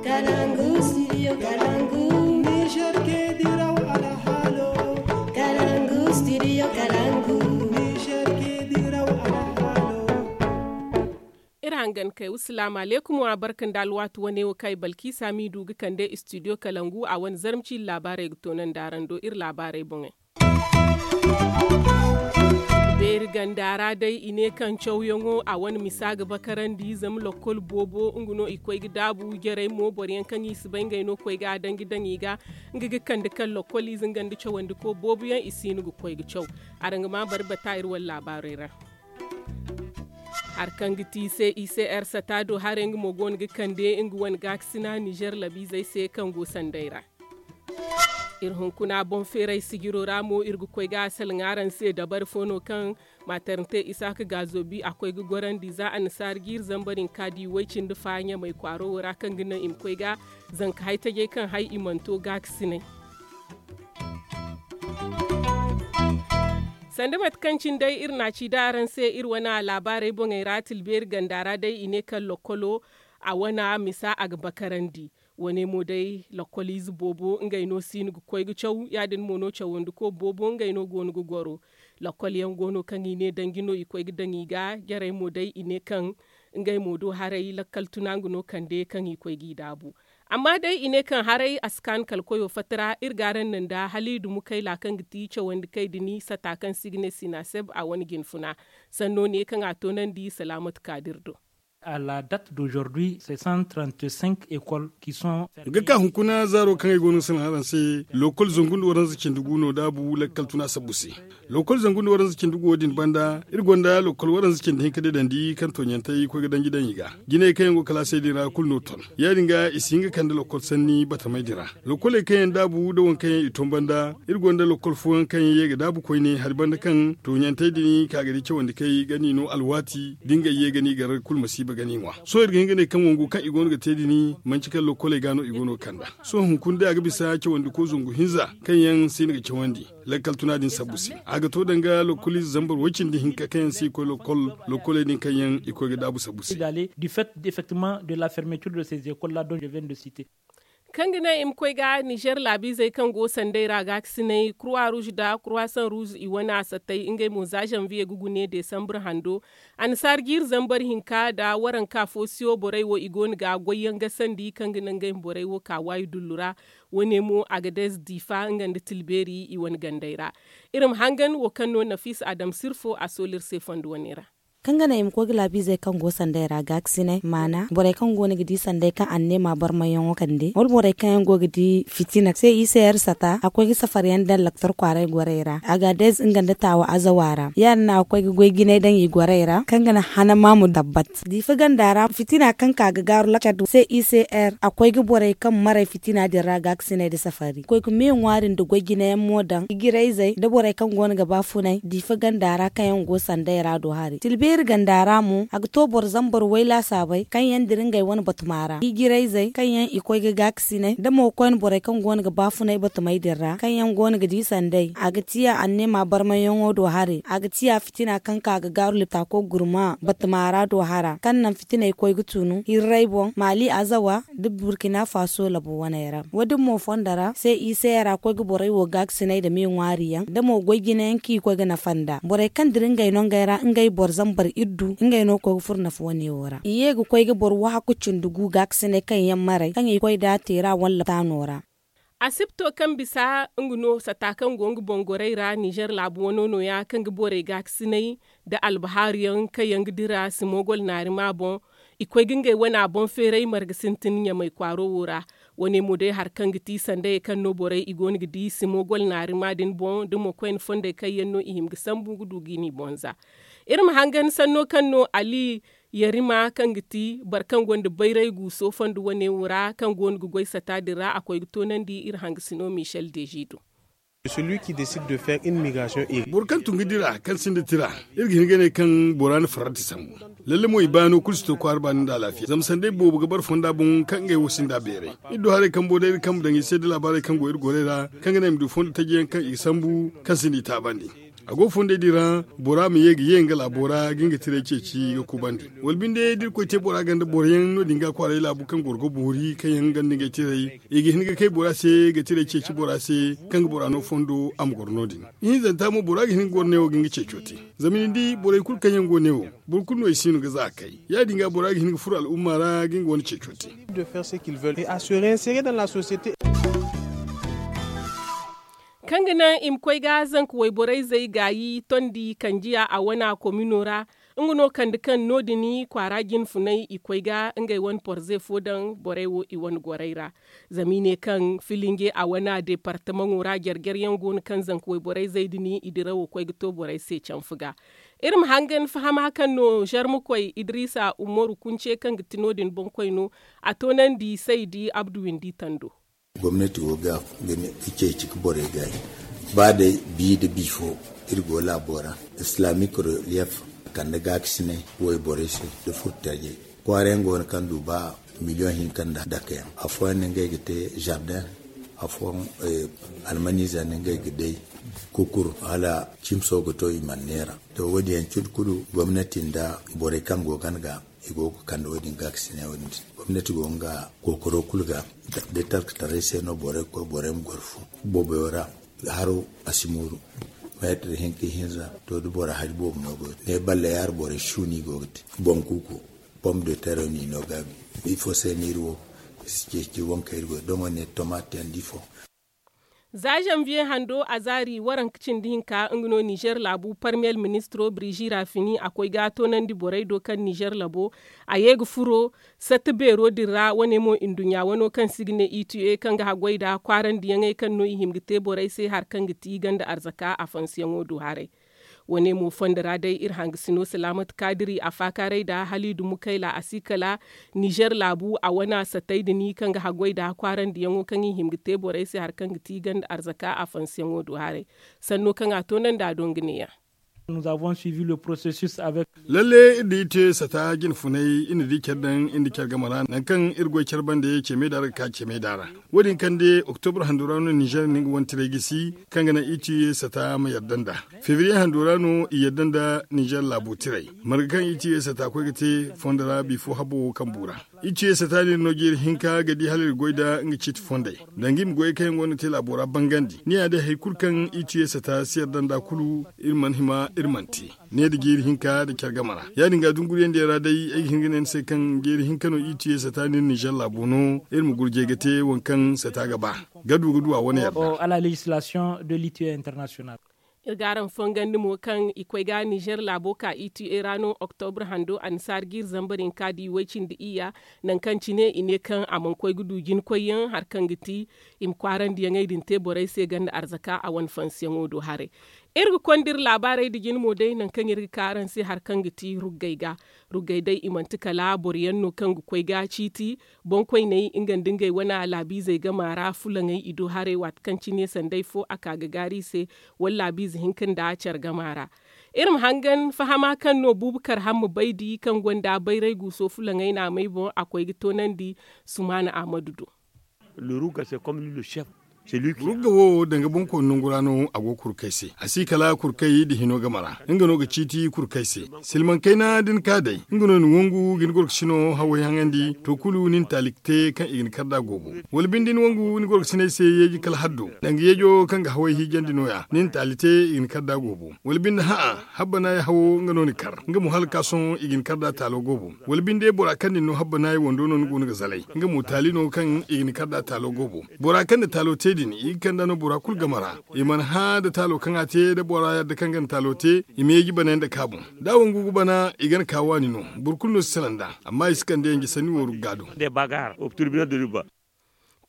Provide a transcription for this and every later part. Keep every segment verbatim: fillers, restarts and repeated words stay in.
Kalangu studio kalangu. Niger ke diraw alhalo. Kalangu studio kalangu. Niger ke diraw alhalo. Iri hangan kay wasalaamu aleykum wa barka nda alwaati wane wo kaŋ ay balkiisa m'i du ga kande studio kalangu a wane zarma ciiri laabaarey ga toonandi araŋ do iri laabaarey boŋey. Beeri ganda ra day i ne kaŋ cawyaŋo a wane misa ga bakarandi zama lokkol boobo nga no i koy ga daabu jarey mo boro yaŋ kaŋ i si bay ngey no koy ga a danji daŋ i ga nga ga kande kaŋ lokkol ize nga nda cawandiko boobo yaŋ i si hin ga koy ga caw. Araŋ ga ma bari bata iri wane laabaarey ra. Hari kaŋ ga ti se i se r sata do haray nga mo go no ga kande nga wane gaakasina nizer labiizey se kaŋ go sanday ra. Iri hunkuna boŋ feeray sijiro ra mo iri ga koy ga a salaŋ araŋ se dabari fo no kaŋ maatarante isaaka gaazobi a koy ga gorandi za annasaara jiiri zambar hinka di way-cindi fa ɲamay kwaaro wo ra kaŋ ga naŋ i ma koy ga zanka hay-tajey kaŋ hay i mana to gaakasinay. Sanda mate kaŋ cine day iri na a ci da araŋ se iri wane laabaarey boŋey ra tilbeeri ganda ra day i ne kaŋ lokkolo a wane misa a ga bakarandi. Wane mo day lokkoliize boobo ngey no si hin ga koy ga caw ya- din mo no cawandiko boobo ngey no go no ga goro. Lokkol yaŋ go no kaŋ i ne danji no i koy ga daŋ i ga jarey mo day i ne kaŋ ngey mo do haray lakkal tuna nga no kande kaŋ i koy g'i daabu. Amma day i ne kaŋ haray a si kaanu kala koyo fatta ra iri ga araŋ naŋ nda hala i dumu kayla kaŋ ga ti cawandi kay din sata kaŋ se i ga ne sinaseb a wane jinfuna. Sanno ne kaŋ a toonandi salaamatu kaadir do. À la date d'aujourd'hui c'est cent trente-cinq écoles qui sont fermées. Ga ka hunkuna zaaro kaŋ ay go no ga salaŋ araŋ se, lokol zangu nda waranza cindi gu no daabu lakkal tuna sabbu se. Lokol zangu nda waranza cindi gu wo- din banda iri gonda lokol waranza cindi hinka deedandi kaŋ tooɲantey koy ga danji daŋ i ga. Jinay kaŋ yaŋ go kalaasey din ra kulu no ton. Ya- din ga i si hin ga kande lokol sanni batamey din ra. Lokoley kaŋ yaŋ daabu nda waŋ kaŋ yaŋ i ton banda iri gonda lokol fooyaŋ kaŋ yaŋ ye ga daabu koyne hari banda kaŋ tooɲantey din ka ga di cawandi kay ga ni no alwaati da ngey ye ga ni gar kulu masiiba ga ni ŋwa. Sohõ iri ga hin ga ne kaŋ wangu kaŋ i go no ga te din manci kala lokoley ga no i go no ga kand'a. Sohõ hunkuna day a ga bisa cawandiko zangu hinza kaŋ yaŋ si hin ga cawandi lakkal tuna din sabbu se. A ga to danga lokoliize zambar way-cindi hinka kaŋ yaŋ si koy lokol, lokoley din kaŋ yaŋ i koy ga daabu sabbu se. D'aller du fait effectivement de la fermeture de ces écoles là dont je viens de citer. Kaŋ ga naŋ i ma koy ga nizer laabiizey kaŋ go sanday ra gaakasinay kurwa ruuz nda kurwa san ruuz i wane a sattay ngey mo za zanviye ga gune desambre hando. Annasaara jiiri zambar hinka nda waranka fo siyo borey wo i go no ga goyyaŋ gasandi kaŋ ga naŋ ngey ma borey wo ka waayi dullu ra. Wane mo agadez diifa nga nda tilbeeri i wane gandey ra. Iri ma hangan wo kaŋ no nafiisa adam sirfo a soolu iri se fondo wane ra. Kaŋ ga naŋ i ma koy ga laabiizey kaŋ go sanday ra gaakasinay maana borey kaŋ go no ga di sanday kaŋ anneema barmayyaŋo kande wala borey kaŋ yaŋ go ga di fitina se i se yer sata a koy ga safar yaŋ daŋ laktor kwaaray gorey ra agadez nga nda taawa azawa ra ya- din no a ga koy ga goy jinay daŋ i gorey ra kaŋ ga naŋ hana maamu dabbat. Diifa ganda ra fitina kaŋ ka ga gaaru lakcad se i se yer a koy ga borey kaŋ maray fitina din ra gaakasinay nda safari koy ga me ŋwaari nda goy jinayaŋ mo daŋ ijirayzey nda borey kaŋ go no ga ba funay diifa ganda ra kaŋ yaŋ go sanday ra do hari tilbeeri ganda ra mo a ga to boro zambar way laasaabey kaŋ yaŋ dira ngey wane batuma ra ijirayzey kaŋ yaŋ i koy ga gaakasinay nda mo koyne borey kaŋ go no ga ba funay batumey din ra kaŋ yaŋ go no ga di sanday a ga tiya anneema barmayyaŋo do hari a ga tiya fitina kaŋ ka ga gaaru liptaako gurma batuma ra do hara kaŋ naŋ fitiney koy ga tunu hirray boŋ maali azawa nda burkina faso labo waney ra wo- din mo fondo ra se i se ra koy ga borey wo gaakasinay nda me ŋwaari yaŋ nda mo goy jinayaŋ kaŋ i koy ga nafa nda borey kaŋ dira ngey no ngey ra ngey boro zambar iddu ngey no ga koy ga furo nafa wane wo ra i ye ga koy ga boro wahakku cindi gu gaakasinay kaŋ yaŋ maray kaŋ i koy da a te ra walla taano ra. Asibto kaŋ bisa nga no sata kaŋ go nga boŋ gorey ra nizer laabu wano nooya kaŋ ga borey gaakasinay nda albahaaru yaŋ kaŋ yaŋ ga dira simogol naarima boŋ. I koy ga ngey wana boŋ feeray marga sintin ɲamay kwaaro wo ra. Wane mo day hari kaŋ ga ti sandayey kaŋ no borey i go no ga di simogol naarima din boŋ da mo koyne fondey kaŋ yaŋ no i hima ga sambu ga du ga i n'i boŋ za. Iri ma hangan sanno kaŋ no ali yarima kaŋ ga ti boro kaŋ gonda bayray guuso fondo wane wo ra kaŋ go no ga goy sata din ra a koy ga toonandi iri hangasino michel deji do. Boro kaŋ tun ga dira kaŋ sinda tira iri ga hin ga ne kaŋ bora na farrati sambu. Lalle mo i baano kulu si to kwaara baani nda alaafiya zama sanday boobo ga bara fonda boŋ kaŋ ngey wo sinda beeray. Iri du haray kambo day iri kambe daŋ i se da laabaarey kaŋ go iri gorey ra kaŋ ga naŋ i ma du fondo taji yaŋ kaŋ i ga sambu kaŋ sinda i taabandi. A go fondey din ra, bora ma ye ga ye nga laabo ra ga nga tirey ceeci ga kubandi. Wala binde da irkoy te bora ganda boro yaŋ no- din ga kwaaray laabu kaŋ goro ga boori kaŋ yaŋ ganda ngey tirey, i ga hin ga kay bora se ga tirey ceeci bora se, kaŋ ga bora no fondo a ma goro no- din. Ihinzanta mo bora ga hin ga goro neewo ga nga ceeco te. Zama ni di borey kulu kaŋ yaŋ go neewo, boro kulu no i si no ga za ga kay. Ya- din ga bora ga hin ga furo al'umma ra ga nga wane ceeco te. Kaŋ ga naŋ i ma koy ga zanka wayborey zey gaayi tondi kanjiya a wana komino ra. Nga no kande kaŋ no- din kwaara jinfunay i koy ga ngey wane porze fo daŋ borey wo i wane gorey ra. Zama i ne kaŋ filinge a wana departamaŋo ra jare jare yaŋ go no kaŋ zanka wayborey zey din i dirawo koy ga to borey se canfu ga. Iri ma hangan fahama kaŋ no zarmakoy idrisa umaru kunce kaŋ ga ti no- din boŋkoy no, a toonandi saydi abdu windi tando. Gomnati go ga ceeci ga borey gaayi. Ba day bi nda bi fo, iri go laabo ra, islamik reliyef kande gaakasinay wayborey se nda furtajey. Kwaara yaŋ go no kaŋ du ba miliyoŋ hinka nda dake yaŋ. Afooyaŋ no ngey ga te zardeŋ, afooyaŋ almaniiza no ngey ga day kukur hala cimso ga to i mana neera. To wo- din yaŋ cindi kulu gomnati nda borey kaŋ go gana ga i go ga kande wo- din gaakasinay wo- din se. Gomnati go nga kookaro kulu ga da talkataray se no borey ga koy borey ma goro fu booboyo ra. Haro a si mooru. Meetir hinka ihinza to da bora hari boobo no go ga te ne balle yaari borey si no i go ga te. Boŋ kuuku pom de terre no i no gaabi. Ifo se no iri wo i si ceeci waŋ kaŋ iri go doŋo ne tomate yaŋ da ifo. Za zanviye hando a zaari waranka cindi hinka nga no nizer laabu parmiyel ministiro birizi raafini a koy ga toonandi borey do kaŋ nizer labo a ye ga furo satta beero din ra wane mo nduɲɲa wano kaŋ se i ga ne ita kaŋ ga haggoy nda kwaarandiyaŋey kaŋ no i hima ga te borey se hari kaŋ ga ti ganda arzaka afansiyaŋo do haray. Wane mo fondo ra day iri hangasino salaamat kaadiri a faakaaray nda haliidu mukayla a si kala nizer laabu a wane sattey din kaŋ ga haggoy nda kwaarandiyaŋo kaŋ i hima ga te borey se hari kaŋ ga ti ganda arzaka afansiyaŋo do haray. Sanno kaŋ a toonandi a do nga neeya. Lalle iri da ite sata jinfunay iri na di care daŋ iri nda care game ra nangu kaŋ iri goy care bande ceme da ra ga ka ceme da ra. Wo- din kaŋ de oktobra hando ra no nizer na nga wane tiray gisi kaŋ ga naŋ ite sata ma yadda nda febriye hando ra no i yadda nda nizer laabo tiray. Marga kaŋ ite sata koy ga te fondo ra bifo habbo wo kaŋ bu ra. Ite sata no iri no jeeri hinka ga di hala iri goy nda nga ciiti fondey danga i ma goyey kaŋ yaŋ go no ga te laabo ra bangandi ni ya day hari kulu kaŋ ite sata si yadda nda kulu iri mana hima iri mana te. Ne da jeeri hinka nda care game ra ya- din ga dunguriyandiyaŋ ra day ay ga hin ga ne ni se kaŋ jeeri hinka no ite sata no iri nizer laabo no iri ma gurjay ga te waŋ kaŋ sata ga ba ga du ga du a wane yadda. Iri ga araŋ fongandi mo kaŋ i koy ga nizer laabo ka ita ra no oktobra hando annasaara ga iri zambar hinka da i way-cindi iyya. Nangu kaŋ cine i ne kaŋ a mana koy ga du jinkoyyaŋ hari kaŋ ga ti i ma kwaarandiyaŋey din te borey se ganda arzaka a wane fansiyaŋo do haray. Iri ga konda iri laabaarey nda jine mo day nangu kaŋ iri ga ka araŋ se hari kaŋ ga ti ruggey ga. Ruggey day i manti kala boro yaŋ no kaŋ ga koy ga ciiti boŋkoyney nga nda ngey wane laabiizey game ra fulaŋey i do haray waati kaŋ cine sanday fo a ka ga gaari i se wala laabiize hinka nda care game ra. Iri ma hangan fahama kaŋ no buubu kar hamma baydi kaŋ gonda bayray guuso fulaŋey naamey boŋ a koy ga toonandi sumaana ahmadu do. Rugga wo danga boŋkooni nangu ra no a go kurkay se a si kala kurkay nda hino game ra nga no ga ciiti kurkay se. Silmaŋ kayna da ni ka day nga no ni wangu ga ni gorkasino haway haŋandi to kulu ni na taali te kaŋ i ga ni kar da goobo. Wala binde ni wangu ni gorkasiney se yeeji kala haddo danga yeejo kaŋ ga haway hiijandi no- ya ni na taali te i ga ni kar da goobo. Wala binde hã'a habbanaay hawo nga no ni kar nga mo hala ga ka sohõ i ga ni kar da taalo goobo. Wala binde bora kaŋ na ni no habbanaay wando no ni go no ga zalay nga mo taali no kaŋ i ga ni kar da taalo goobo. Bora kaŋ na taalo te din i ga kand'a no bora kulu game ra. I mana hã nda taalo kaŋ a te nda bora yadda kaŋ ga na taalo te i ma yeeji banay nda kaabu. Da a wangu ga bana i ga na ka waani no. Boro kulu no si salaŋ nd'a amma i si kande yanje sanni wo rugga do.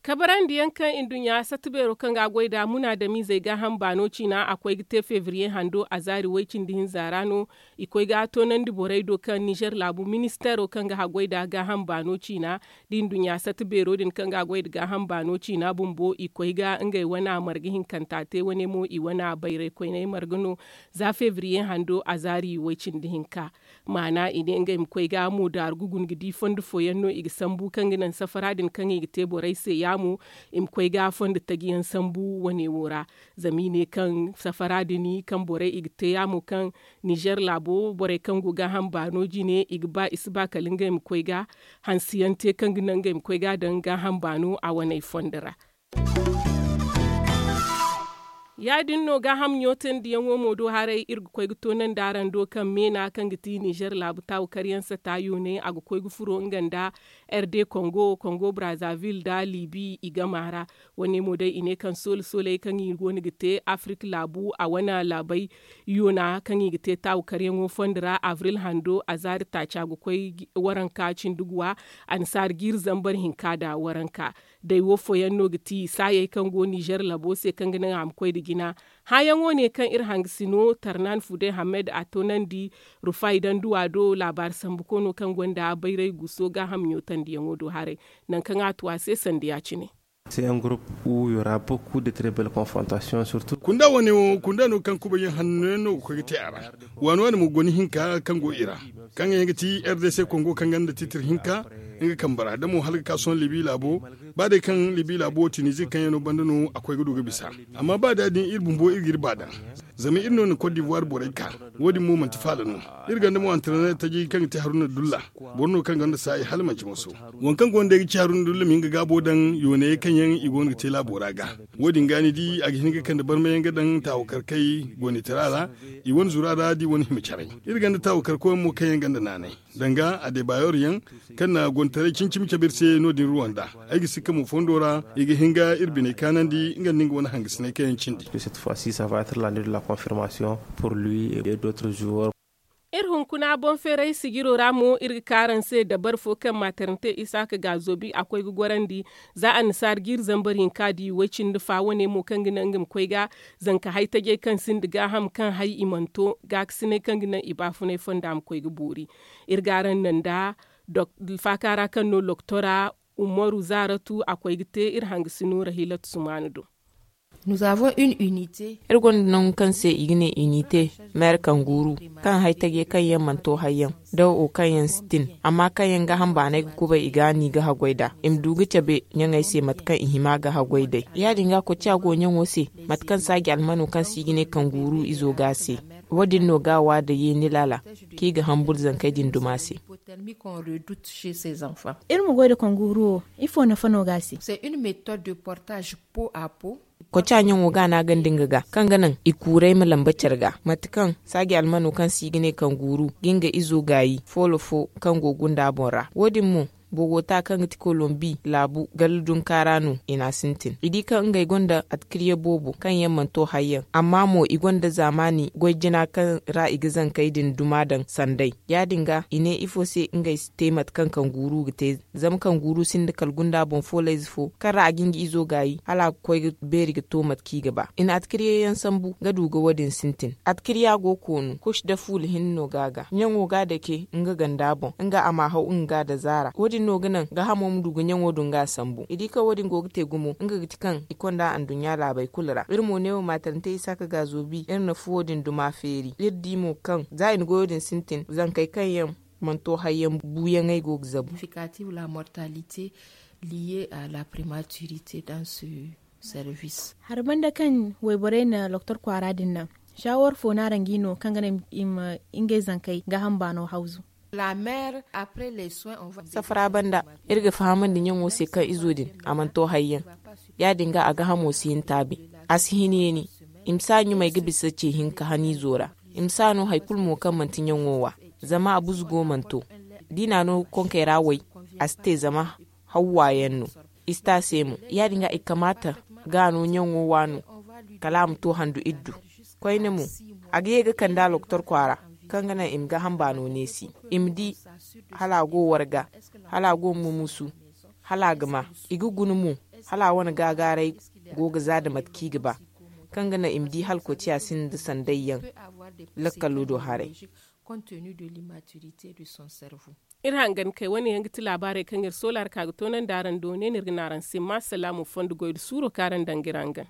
Kabarandiyaŋ kaŋ nduɲɲa satta beero kaŋ ga a goy nd'a munaadamiizey gaaham baano ciina a koy ga te febriye hando a zaari way-cindi hinza ra no. I koy ga toonandi borey do kaŋ nizer laabu ministeero kaŋ ga haggoy nd'a gaaham baano ciina da nduɲɲa satta beero din kaŋ ga a goy nda gaaham baano ciina bumbo i koy ga ngey wane marga hinkanta te wane mo i wane bayraykoyney marga no. Za febriye hando a zaari way-cindi hinka maana i ne ngey ma koy ga moodaaru ga guna ga di fondo fooyaŋ no i ga sambu kaŋ ga naŋ safara din kaŋ i ga te borey se. mo i ma koy ga fondo taji yaŋ sambu wane wo ra. Zama i ne kaŋ safara din kaŋ borey i ga te yaamo kaŋ nizer laabo borey kaŋ go gaaham baano jine i ga ba i si ba kala ngey ma koy ga hanse yaŋ te kaŋ ga naŋ ngey ma koy ga a daŋ gaaham baano a waney fondo ra. Ya- din no gaaham ɲootandi yaŋo mo do haray iri ga koy ga toonandi araŋ do kaŋ meena kaŋ ga ti nizer laabu taawu karyaŋ sata yooney a ga koy ga furo nga nda r d kongo kongo brazaville nda libi i gama ra. Wane mo day i ne kaŋ soole sooley kaŋ i go no ga te afirik laabu a wane laabey yoona kaŋ i ga te taawu karyaŋo fondo ra abril hando a zaari taaca ga koy waranka cindi guwa annasaara jiiri zambar hinka nda waranka. Day wo fooyaŋ no ga ti saayey kaŋ go nizer labo se kaŋ ga naŋ a ma koy nda jina. Hããyaŋo ne kaŋ iri hangasino tarnan fude hamed a toonandi rufay danduwa do laabaari sambu koono kaŋ gonda bayray guso gaaham ɲootandiyaŋo do haray. Nangu kaŋ a tu a se sanda ya- cine. Kunda wane wo kunda no kaŋ kubayaŋ hanno yaŋ no ga koy ga te a ra. Waani waani mo goni hinka kaŋ go i ra, kaŋ yaŋ ga ti r d c kongo kaŋ gonda titir hinka nga kambe ra da mo hala ga ka sohõ libi laabo. Ba day kaŋ libi laabo tinizi kaŋ yaŋ no banda no a koy ga du ga bisa. Amma ba da din iri bumbo iri ga iri ba daŋ. Zama iri no na kot divuwar borey ka. Wo- din mo manti faala no. Iri gonda mo antareener taji kaŋ ga te haruna dulla. Boro no kaŋ gonda saayi hala manci moso. Waŋ kaŋ go no day ga ci haruna dulla ma hin ga gaabo daŋ yooney kaŋ yaŋ i go no ga te laabo ra ga. Wo- din ga ni di a ga hin ga kande barmayaŋ ga daŋ taawakarkey gonitara ra. I wane zura ra da i wane hima caray. Iri gonda taawakarkoyaŋ mo kaŋ yaŋ gonda naanay danga adebayor yaŋ kaŋ na gonitaray cimi cimi cabe iri se no- din ruwanda. Ay ga sikka mo fondo ra i ga hin ga iri biney kaanandi nga nda nga wane hangasinay kaŋ yaŋ cindi. Iri hunkuna boŋ feeray sijiro ra mo iri ga ka araŋ se dabari fo kaŋ maatarante isaaka ga a zoobi a koy ga gorandi. Za annasaara jiiri zambar hinka di way- cindi fa wane mo kaŋ ga naŋ nga ma koy ga zanka hay tajey kaŋ sinda gaaham kaŋ hay i mana to gaakasinay kaŋ ga naŋ i baafunay fonda ma koy ga boori. Iri ga araŋ naŋ nda faaka ra kaŋ no loktora umaru zaaratu a koy ga te iri hangasino rahilatu sumaanu do. Iri gonda nangu kaŋ se i ga ne unite, meere kanguru, kaŋ hay tajey kaŋ yaŋ mana to hayyaŋ da wo kaŋ yaŋ si tin, amma kaŋ yaŋ gaaham baanay ga kubay i ga a ni ga haggoy nd'a i ma du ga cabe ɲaŋey se mate kaŋ i hima ga haggoy day. Ya- din ga koca go ɲaŋo se, mate kaŋ saaji almano kaŋ se i ga ne kanguru izo ga a se. Wo- din no ga a wa nda yeeni laala kaŋ i ga hambur zankey din duma se. Iri ma goy nda kanguru wo ifo nafa no ga a se? Koca ɲaŋo ga a naagandi nga ga kaŋ ga naŋ i kuuray ma lamba care ga mate kaŋ saaji almano kaŋ se i ga ne kanguru ga nga izo gaayi foolo fo kaŋ go gunda boŋ ra. Wo- din mo bogota kaŋ ga ti kolombi laabu galla dunka ra no i n'a sintin i di kaŋ ngey gonda atkirye boobo kaŋ yaŋ mana to hayyaŋ amma mo i gonda zaamaani goy jina kaŋ ra i ga zankey din duma daŋ sanday. Ya- din ga i ne ifo se ngey si te mate kaŋ kanguru ga te. Zama kanguru sinda kala gunda boŋ foolayze fo kaŋ ra a ga nga izo gaayi hala a ga koy ga beeri ga to mate kaŋ i ga ba i na atkirye yaŋ sambu ga du ga wo- din sintin atkirya go koonu kush da fuula hinne no ga a ga ɲaŋo ga a dake nga ganda boŋ nga a ma haw nga ga a da zaara wo- din no ga naŋ gaahamo ma du ga ɲaŋo du nga a sambu i di kaŋ wo- din go ga te gumo nga ga ti kaŋ i konda anduɲɲa laabey kulu ra iri mo neewo maatarante isaaka ga a zoobi iri na fuwo din duma feeri iri di mo kaŋ za i na goyo din sintin zankey kaŋ yaŋ mana to hayyaŋ buuyaŋey go ga zabu. Hari banda kaŋ wayborey na loktor kwaara din naŋ saawar fo no araŋ ga i no kaŋ ga naŋ i ma ngey zankey gaaham baano hawzu? Safara banda iri ga fahamandi ɲaŋo se kaŋ izo din a mana to hayyaŋ. Ya- din ga a gaahamo si hin taabi a si hin yeeni. I ma si a ɲumay ga bisa ce hinka haniizo ra. I ma si a no hari kulu mo kaŋ manti ɲaŋo wa zama a buzugo mana to. Da i n'a no konkey ra way a si te zama hawwa yaŋ no. I si te a se mo ya- din ga i kamaata ga a no ɲaŋo wa no kala a ma to handu iri du. Koyne mo a ga ye ga kande a loktor kwaara kaŋ ga naŋ i ma gaaham baano neesi i ma di hala a go warga hala a go mumusu hala a ga ma i ga guna mo hala a wane gaagaaray go ga za nda mate kaŋ i ga ba kaŋ ga naŋ i ma di hala koociya sinda nda sanday yaŋ lakkalo do haray. Iri hangan kay wane yaŋ ga ti laabaarey kaŋ iri soola ra ka ga toonandi araŋ do ne no iri ga ne araŋ se ma salaamu fondo goy nda suuro kaŋ araŋ daŋ ga iri hangan.